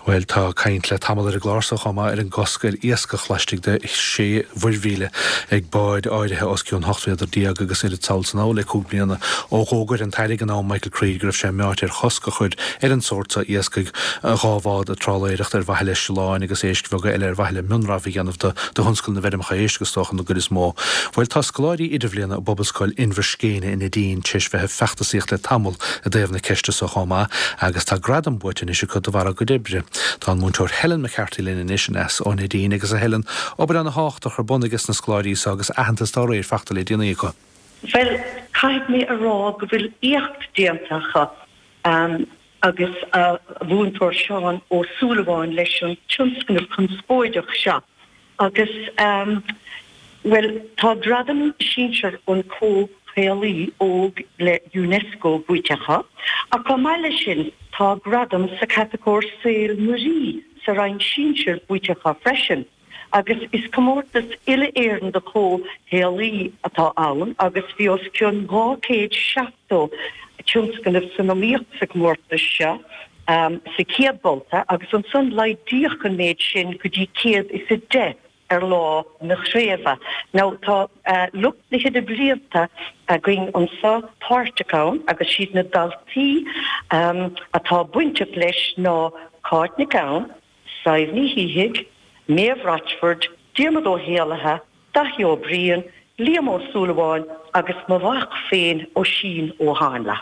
Bhuel, tá caint le tamall ar an gclár so chomh maith ar an gcosc ar iascach laistigh de shé mhuirmhíle ag báid áirithe os cionn 18 mhéadar agus oiread sall is anall le 5 bliana ó dh'fhógair an tAire ag an am, Michael Creed, go raibh sé meáite ar chosc a chur ar an sórt so iascaigh, 2 bhád ag trálaeireacht ar mhaithe le sileáin agus éisc bheaga eile ar mhaithe le mionrabhadh a dhéanamh do thionscal na bhfeirmeacha éisc, is dócha, an gcuid is mó. Bhuel, tá scoláirí idirbhliana i bPobalscoil Inbhir Scéine i Neidín tar éis bheith ag feachtasaíocht le tamall i dtaobh na ceiste so chomh maith agus tá gradam buaite anois acu de bharr a gcuid oibre. Tá an múinteoir Helen McCarthy linn anois aneas ó Neidín agus a Helen, obair ana-thábhachtach ar bun ages na scoláirí so agus aitheantas dá réir fachta le déanaí acu. Bhuel, caithfidh mé a rá go bhfuil éacht déanta acu agus a mhúinteoir Seán Ó Súilleabháin leis an tionscnamh conspóideach seo agus, bhuel, tá gradam sinsir an Comhshaolaí Óg le Unesco buaite acu ach chomh maith leis sin tá gradam sa chatagóir Saol Muirí sa roinn sinsir buaite acu freisin. Agus is comórtas uile-Éireann do chomhshaolaí atá ann agus bhí os cionn 270 tionscnamh san iomaíocht sa chomórtas seo sa chéad bhabhta agus ansan laghdaíodh an méid sin go dtí 110 ar lá na craoibhe. Now tá lucht na hidirblianta againn anso páirteach ann agus siad na daltaí atá bainteach leis ná Cáit Nic Gabhann, Sadhbh Ní Shíthigh, Méabh Rochford, Diarmuid Ó hÉallaithe, Daithí Ó Briain, Liam Ó Súilleabháin agus mo mhac féin Oisín Ó Háinle.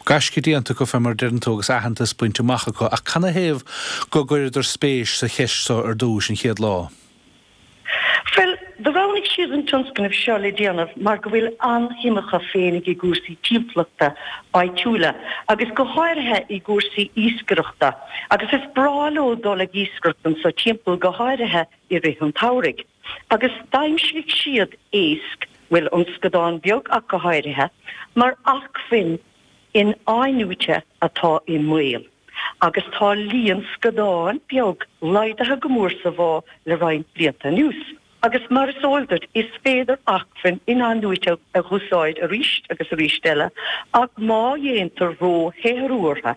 Gaisce déanta acu fé mar a deireann tú agus aitheantas bainte amach acu ach canathaobh go gcuireadar spéis sa cheist so ar dtúis, an chéad lá? Bhuel, do roghnaigh siad an tionscnamh seo le déanamh mar go bhfuil an-shuim acu féinig i gcúrsaí timpeallachta áitiúla agus go háirithe i gcúrsaí iascaireachta agus is breá leo dul ag iascaireacht anso timpeall go háirithe i rith an tsamhraidh. Agus d'aimsigh siad éasc, bhuel an scadán beag ach go háirithe, mar acmhainn in-athnuaite atá i mbaol agus tá líon scadán beag laghdaithe go mór sa bhá le roinnt blianta anuas. Agus mar is eol duit, is féidir acmhainn in-athnuaite a dh'úsáid arís agus arís eile ach má dhéantar ró-shaothrú orthu,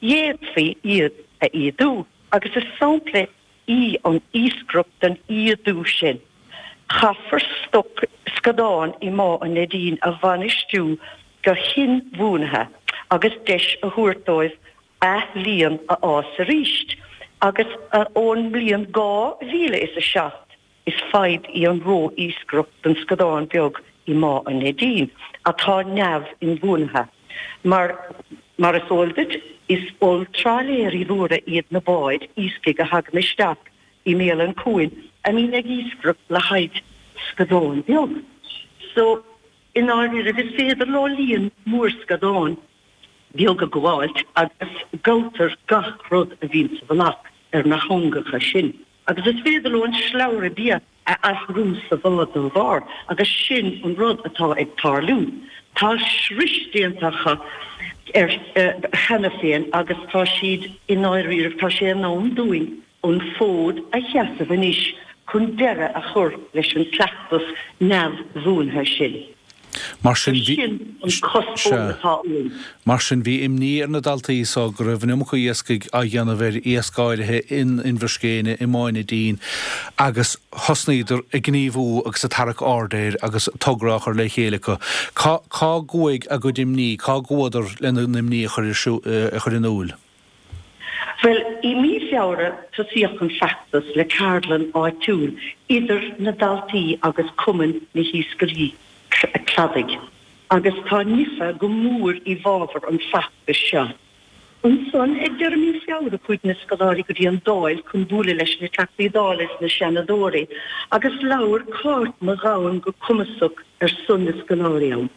d'fhéadfaí iad a ídiú agus is sampla í an iascaireacht den ídiú sin. Caithfear stoc scadán i mBá an Neidín a bhainistiú go hinbhuanaithe agus deis a thabhairt dóibh athlíon a fhás arís agus ón mbliain 2007 is fadhb í an ró-iascaireacht den scadán beag i mBá an Neidín atá neamh-inbhuanaithe. Mar, mar is eol duit, is olltrálaeirí mhóra iad na báid iascaigh a thagann isteach i mbéal an chuain a mbíonn ag iascaireacht le haghaidh scadán beag. So, i ndáiríribh, is féidir leo líon mór scadán beag a ghabháilt agus gabhtar gach rud a bhíonn sa mhullach ar na heangacha sin. Agus is féidir leo an slabhra bia a athrú sa bhá dá bharr agus sin an rud atá ag tarlú. Tá scrios déanta acu air cheana féin agus tá siad i ndáiríribh, tá sé in am dúinn an fód a sheasamh anois chun deireadh a chur leis an gcleachtas neamhbhuanaithe sin. Mar sin bhí. Sin an cuspóir atá uainn. Mar sin bhí imní ar na daltaí so go raibh an iomarca iascaigh á dhéanamh ar iasc áirithe in Inbhir Scéine, i mBá Neidín agus thosnaíodar ag gníomhú agus ag tarrac aird air agus togra á chur le chéile acu. Cá, cá gcuaigh a gcuid imní, cá gcuadar lena n-imní a chur a chur in iúil? Bhuel, i mí Feabhra tosaíodh an feachtas le ceardlann áitiúil idir na daltaí agus Cumann na hIascairí Cladaigh agus tá NIFA go mór i bhfabhar an feachtais seo. Ansan ag deireadh mí Feabhra chuaigh na scoláirí go dtí an Dáil chun bualadh leis na Teachtaí Dála is na Seanadóirí agus labhair Cáit Mac Gabhann go cumasach ar son na scoláirí ann.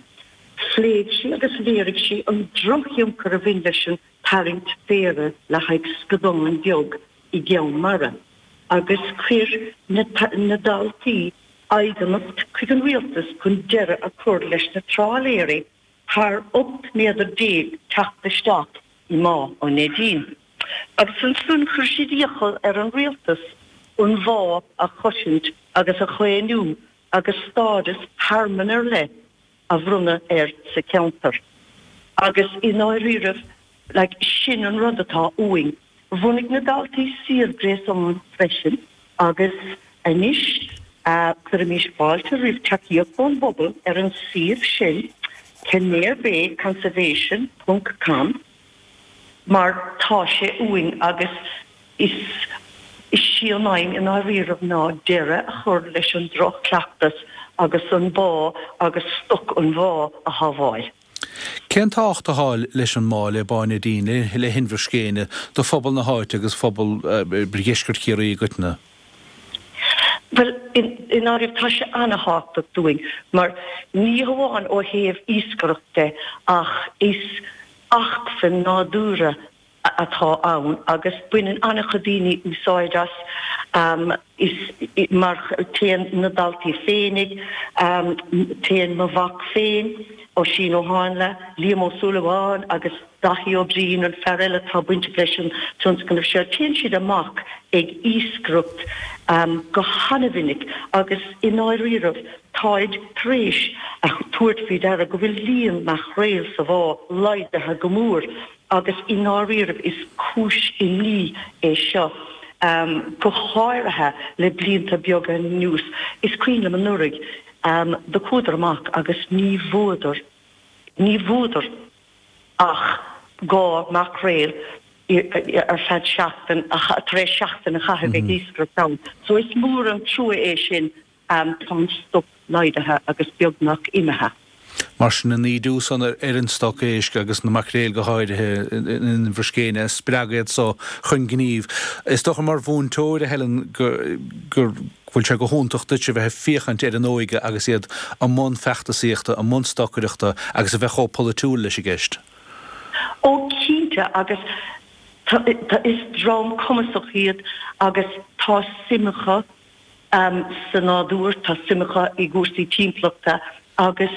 Phléigh sí agus léirigh sí an drochthionchar a bhain leis an tarraingt phéire le haghaidh scadán beag i gceann mara agus chuir na daltaí aighneacht chuig an rialtas chun deireadh a chur leis na trálaeirí thar 18 méadar teacht isteach i mBá an Neidín. Agus ansan chuir siad iachall ar an rialtas an bhá a chosaint agus a chaomhnú agus stádas thearmann ar leith a bhronnadh air sa cheantar. Agus i ndáiríribh, like, sin an rud atá uainn. Bhunaigh na daltaí suíomh gréasáin freisin agus anois cuirimís fáilte roimh tacaíocht ón bpobal ar an suíomh sin, kennerebayconservation ponc com, mar tá sé uainn agus is is í an aidhm i ndáiríribh ná deireadh a chur leis an droch-chleachtas agus an bá agus stoc an bhá a shábháil. Cén tábhacht atá leis an mbá, le Bá Neidín, le hInbhear Scéine, do phobal na háite agus phobal dheisceart Chiarraí i gcoitinne? Bhuel, i ndáiríribh, tá sé ana-thábhachtach dúinn, mar ní hamháin ó thaobh iascaireacht de ach is acmhainn nádúrtha atá ann agus baineann an-chuid daoine úsáid as. Is mar téann na daltaí féinig, téann mo mhac féin, Oisín Ó Háinle, Liam Ó Súilleabháin agus Daithí Ó Briain, an fear eile atá bainteach leis an tionscnamh seo, téann siad amach ag iascaireacht go hana-mhinic agus i ndáiríribh táid tar éis a thabhairt faoi deara go bhfuil líon maicréal sa bhá laghdaithe go mór. Agus i ndáiríribh is cúis imní é seo, go háirithe le blianta beaga anuas. Is cuimhin liom anuraidh, do chuadar amach agus ní bhfuadar, ní bhfuadar ach 2 maicréal ar feadh seachtain, tar éis seachtain a chaitheamh ag iascaireacht ann. So is mór an trua é sin. Tá an stoc laghdaithe agus beagnach imithe. Mar sin, an ídiú san ar an stoc éisc agus na maicréil go háirithe in Inbhear Scéine a spreag iad so chun gnímh. Is dócha mar mhúinteoir, a Helen, go bhfuil sé go hiontach duit a bheith ag féachaint ar an óige agus iad i mbun feachtasaíochta, i mbun stocaireachta agus a bheith chomh polaitiúil leis an gceist. Ó cinnte agus is dream cumasach iad agus tá suim acu sa nádúr, tá suim acu i gcúrsaí timpeallachta agus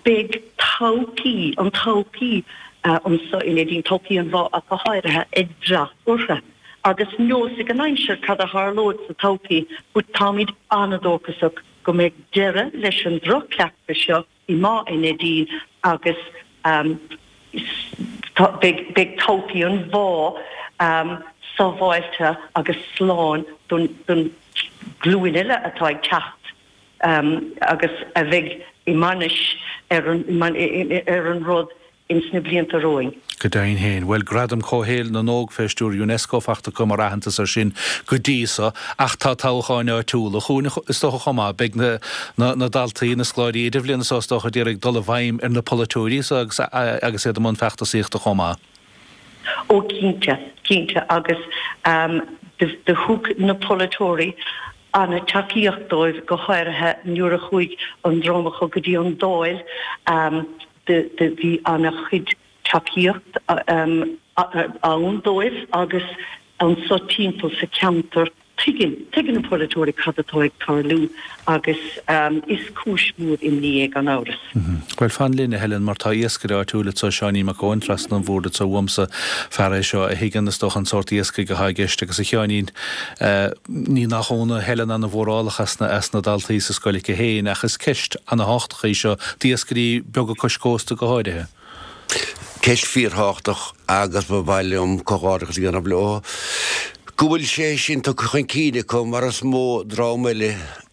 beidh todhchaí, an todhchaí anseo in Neidín, todhchaí an bhá ach go háirithe, ag brath orthu. Agus neosfaidh an aimsir cad a tharlóidh sa todhchaí but táimid an-dóchasach go mbeidh deireadh leis an droch-chleachtas seo i mBá Neidín agus beidh todhchaí an bhá sábháilte agus slán don ghlúin eile atá ag teacht agus a bheidh i mbainis ar an rud ins na blianta romhainn. Go deimhin féin. Bhuel, Gradam Comhshaoil na nÓg fé stiúir Unesco fachta acu mar aitheantas air sin go dtí so, ach tá toghcháin áitiúla chugainn is dócha chomh maith. Beidh na na daltaí, na scoláirí idirbhliana so is dócha ag iarraidh dul i bhfeidhm ar na polaiteoirí so agus agus iad i mbun feachtasaíochta chomh maith. Ó cinnte, cinnte agus do thug na polaiteoirí ana-tacaíocht dóibh go háirithe nuair a chuaigh an dream acu go dtí an Dáil. Do bhí ana-chuid tacaíocht ann dóibh agus anso timpeall sa cheantar tuigeann, tuigeann na polaiteoirí cad atá ag tarlú agus is cúis mhór imní é gan amhras. Bhuel, fan linn, a Helen, mar tá iascaire áitiúil anso, Seáinín Mac Eoin, trasna an bhoird anso uaimse, fear é seo a thuigeann, is dócha, an sórt iascaigh atá i gceist agus, a Sheáinín, ní nach ionadh, Helen ana-mhórálach as na, as na daltaí sa scoil aici féin ach is ceist ana-thábhachtach í seo, d'iascairí beaga cois cósta go háirithe. Ceist fíorthábhachtach agus ba mhaith liom comhghairdeachas a dhéanamh leo go bhfuil sé sin tugtha chun cinn acu mar is mó dream eile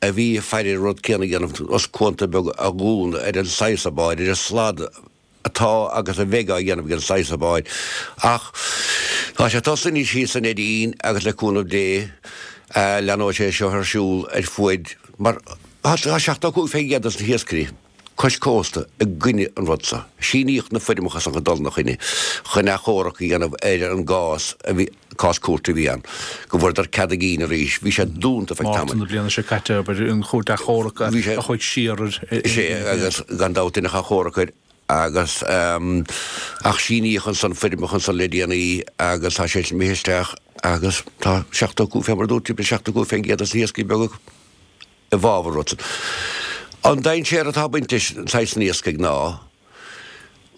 a bhí ag faire an rud céanna a dhéanamh os cuanta beaga a dhúnadh ar an saghas báid, ar an slad atá agus a bheidh á dhéanamh ag an saghas báid. Ach tá sé tosaithe anois thíos i Neidín agus le cúnamh Dé leanóidh sé seo ar siúl ar fuaid mar Tá 75% dos na hiascairí cois cósta i gcoinne an rud seo. Síníodh na foirmeacha san chun dul ina choinne chun achomharc a dhéanamh ar an gcás a bhí, cás cúirte a bhí ann, go bhfuaireadar cead a gcinn arís. Bhí sé dúnta feadh tamaill. Márta na bliana seo caite, abair, an chúirt achomhairc a chuaigh siar ar. Sé, agus gan dabht deineadh achomharc air agus ach síníodh ansan foirmeacha ansan le déanaí agus tá sé imithe isteach agus tá 75, fé mar a dúirt tú, 75% dos na hiascairí beaga. i bhfabhar rud san. An dainséar atá ag baint leis an saghas san iascaigh ná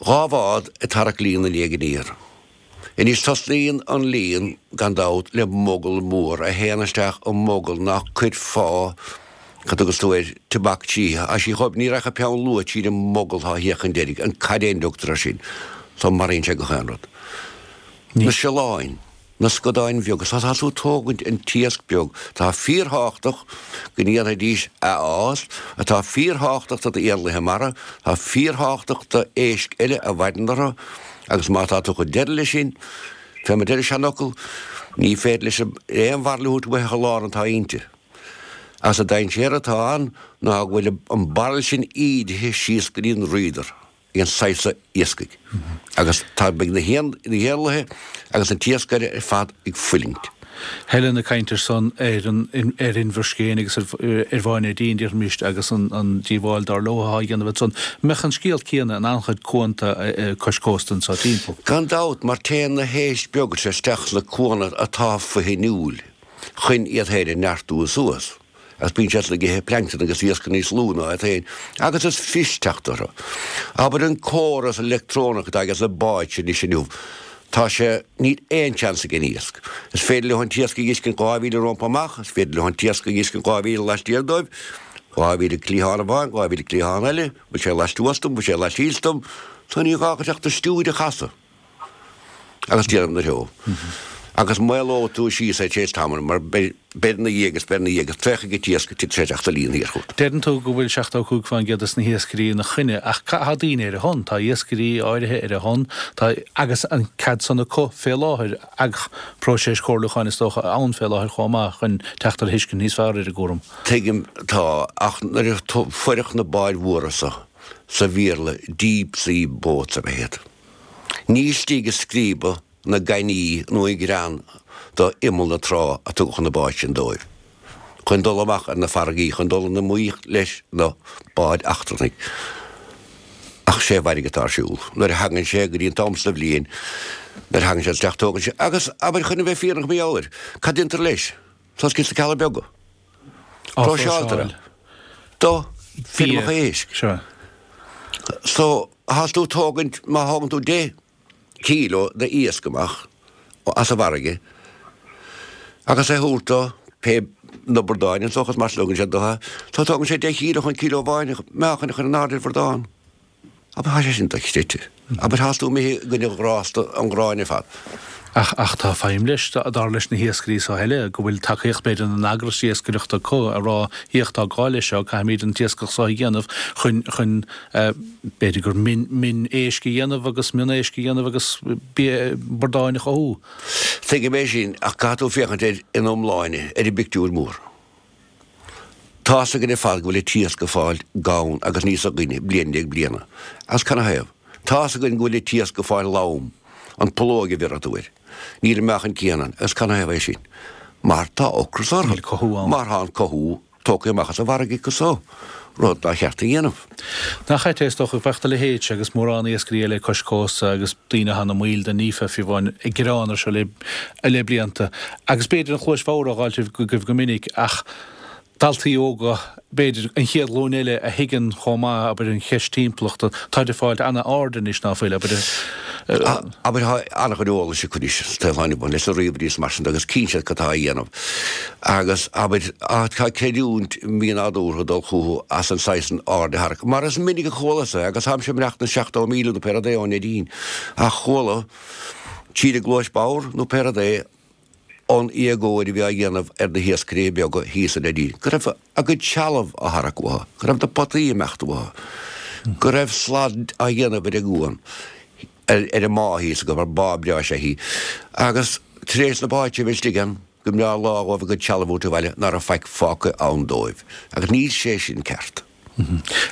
2 bhád ag tarrac líon i ndiaidh aniar. Anois tosnaíonn an líon, gan dabht, le mogall mór a théann isteach i mogall nach cuirfeá, cad thugas tú air, tobac tríthi. Tá sí chomh, ní rachadh peann luaidhe tríd an mogall atá thiar chun deiridh, an caidéan a dtugtar air sin. So maraíonn sé gach aon rud. Na siolláin. Na scadáin bheaga, so tá tú ag tógaint an t-iasc beag, atá fíorthábhachtach go ndéanfaidís a fhás, atá fíorthábhachtach do d'éanlaithe mara, atá fíorthábhachtach do éisc eile a mhaireann orthu, agus má tá tú ag cur deireadh leis sin, fé mar a deir an seanfhocal, ní féidir leis aon bhairille a thabhairt uaithi ach an lán atá inti. Agus an dainséar atá ann ná go bhfuil an bairille sin ídithe síos go dtí an rídar. ag an saghas so iascaigh agus tá beidh na héanlaithe agus an t-iascaire ar fad ag fuilingt. Helen ag caint ar son ar an ar Inbhear Scéine agus ar ar Bhá an Neidín, déarfaimis, agus an an díobháil dar leo atá á dhéanamh ansan. Mbeadh an scéal céanna in an-chuid cuanta cois cósta anso timpeall. Gan dabht, mar téann na héisc beaga seo isteach sna cuanna atá fo-fhuinniúil chun iad féin a neartú suas. Agus bíonn siad ag ithe plancton agus iasc níos lú ná iad féin, agus is fuist teacht orthu. Abair an córas leictreonach atá ages na báid sin anois inniu, tá sé, níl aon chance ag an iasc. Is féidir leo an t-iasc a fheiscint 2,000 rompu amach, is féidir leo an t-iasc a fheiscint 2,000 laistiar dóibh, 2,000 cliathán amháin, 2,000 cliathán eile, bhfuil sé laistuas dom, bhfuil sé laistíos dom, so ní gá duit ach do stiúir a chasadh. agus déanamh ina threo. Agus maolóidh tú síos é tar éis tamaill mar beir ina dhiaidh agus beir ina dhiaidh agus traochfaidh an t-iasc titfidh sé isteach sa líon thiar chugat. Deireann tú go bhfuil 75% des na hiascairí ina choinne ach tá daoine ar a shon, tá iascairí áirithe ar a shon, tá agus an cead san acu fé láthair ach próiseas comhairliúcháin is dócha ann fé láthair chomh maith chun teacht ar thuiscint níos fearr ar an gcúram. Tuigim, tá, ach nuair a fuireadh na báid mhóra so, sa Bhéarla deep sea boats ab ea iad. Ní istigh i scríoba na gainní nó i gcrann do imeall na trá a tugadh na báid sin dóibh, chun dul amach ar na farraigí, chun dul in iomaíocht leis na báid eachtrannaigh. Ach sé an bhfairrge atá ar siúl. Nuair a thagann sé go dtí an t-am sa bhliain, nuair a thagann sé isteach tógann sé, agus abair chun a bheith fírinneach mar gheall air, cad déantar leis? Suas sna Cealla Beaga. Próiseáiltear é. Do feirmeacha éisc. So, thás tú tógaint, má thógann tú 10 kilo de iasc amach as an bhfarraige agus é thabhairt do pé na bordáin anso agus mar sin tugann siad do, so tógann sé 10 kilo chun kilo amháin meáchain a chur in airde ar bhordán. Abair tá sé sin dochreidte. Abair thás tú imithe i gcoinne ghrásta an ghráin ar fad. Ach, ach tá feidhm leis, dar leis na hiascairí so eile, go bhfuil tacaíocht b'fhéidir na n-eagras iascaireachta acu a rá féach tá gá leis seo, caithfimid an t-iascach so a dhéanamh chun, chun b'fhéidir gur min, min éisc a dhéanamh agus mion éisc a dhéanamh agus bia, bordáin a chothú. Tuigim é sin ach caithfidh tú féachaint air ina iomláine, ar an bpictiúr mór. Tá's againn ar fad go bhfuil an t-iasc ag fáil gann agus níos gainne bliain i ndiaidh bliana. Agus canathaobh? Tá's againn go bhfuil an t-iasc ag fáil lom, an phológ a bhéarfaidh tú air. Níl an meáchan céanna ann. Agus canathaobh é sin? Mar tá ocras orthu. Níl cothú ann. Mar tá an cothú tógtha amach as an bhfarraige acu so, rud nár cheart a dhéanamh. Nach ait é, is dócha, bheadh do leithéidse agus mórán iascairí eile cois cósta agus daoine atá ina mbaill den NIFA fiú amháin ag gearán air seo le le blianta. Agus b'fhéidir an chluais bhodhar á fháilt agaibh go minic ach daltaí óga, b'fhéidir, an chéad ghlúin eile a thuigeann chomh maith, abair, an cheist timpeallachta, táid ag fáilt an-aird anois, ná fuil, abair. Abair, tá an-chuid eolais acu anois sa tsaol atá inniu ann, leis na ríomhairí is mar sin de agus cíonn siad cad tá á dhéanamh. Agus, abair, tá creidiúint mhínádúrtha ag dul chucu as an saghas san aird a tharrac. Mar is minic a chualas é, agus táimse ag imeacht na 70 míle nó pé rud é ón Neidín, ach chuala tríd an gcluais bhodhar nó pé rud é, an éagóir a bhí á dhéanamh ar na hiascairí beaga thíos sa Neidín, go raibh a gcuid trealamh á tharrac uathu, go raibh na potaí ag imeacht uathu, go raibh slad á dhéanamh ar an gcuan, ar an mbá thíos acu, mar bá breá is ea í, agus tar éis na báid a bheith istigh ann, go mb'fhearr lá dhóibh a gcuid trealaimh a thabhairt abhaile ná raibh faic fágtha ann dóibh. Agus níl sé sin ceart.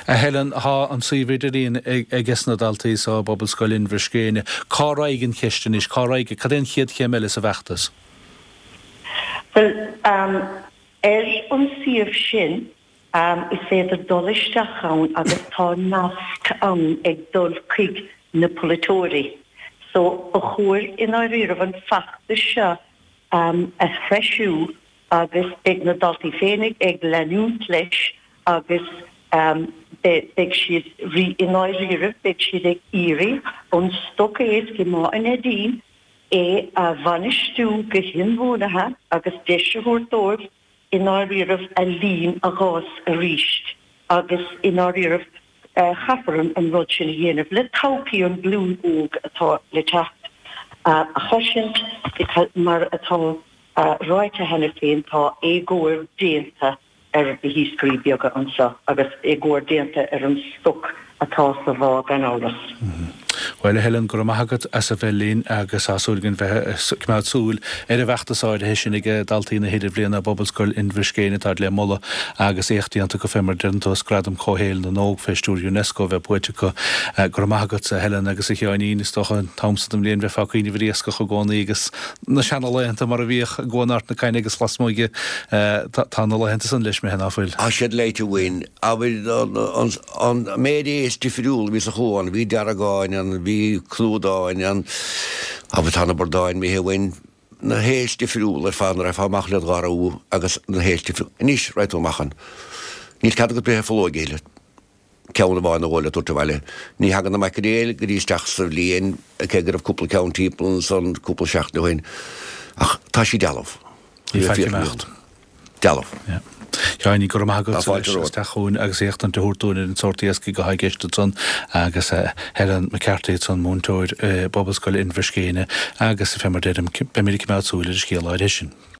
A Helen, tá an suíomh idirlín ages na daltaí so i bPobalscoil Inbhir Scéine. Cá raghaidh an cheist anois? Cá raghaidh, cad é an chéad chéim eile sa bhfeachtas? Bhuel, ar an suíomh sin, is féidir dul isteach ann agus tá nasc ann ag dul chuig na polaiteoirí. So, ba chóir i ndáiríribh an feachtas seo a threisiú agus beidh na daltaí féinig ag leanúint leis agus beidh siad i ndáiríribh, beidh siad ag iarraidh an stoc éisc i mBá an Neidín é a bhainistiú go hinbhuanaithe agus deis a thabhairt dóibh i ndáiríribh a líon a dh'fhás arís agus i ndáiríribh caithfear an rud sin a dhéanamh le todhchaí an glúin óg atá le teacht. a chosaint. Mar atá ráite cheana féin, tá éagóir déanta ar na hiascairí beaga anseo agus éagóir déanta ar an stoc atá sa bhá gan amhras. Bhuel, a Helen, go raibh maith agat as a bheith linn agus tá súil againn bheith ag coimeád súil ar an bhfeachtas áirithe sin ag daltaí na hIdirbhliana i bPobalscoil Inbhir Scéine atá le moladh agus éacht déanta acu fé mar a deireann tú as Gradam Comhshaoil na nÓg fé stiúir Unesco a bheith buaite acu. Go raibh maith agat, a Helen agus a Sheáinín, is dócha an t-am so den bhliain bheifeá ag cuimhneamh ar iascach i gcónaí agus na seana-laethanta mar a bhíodh i gCuan Ard na Caithne agus lasmuigh de. Tá na laethanta san leis imithe, ná fuil? Tá siad léite uainn. Abair, an méid éisc difriúil a bhí sa chuan, bhí deargáin ann, bhí clúdáin ann, abair tá na bradáin imithe uainn, na héisc difriúla ar fad, nuair a rachfá amach led gharú agus na héisc difriúla. Anois, raghaidh tú amach ann. Níl cead agat breith ar pholóig a thuilleadh. Ceann amháin nó dhó le tabhairt abhaile. Ní thagann na maicréil go dtí isteach sa bhliain, cé go raibh cúpla ceann timpeall ansan cúpla seachtain ó shin. Ach tá sí dealbh. Ní faic imeacht. Dealbh. Sheáinín, go raibh maith agat as teacht chugainn agus éachtaint a thabhairt dúinn ar an sórt iascaigh atá i gceist ansan agus Helen McCarthy ansan, múinteoir i bPobalscoil Inbhir Scéine agus fé mar deirim, beimid ag coimeád súil ar an scéal áirithe sin.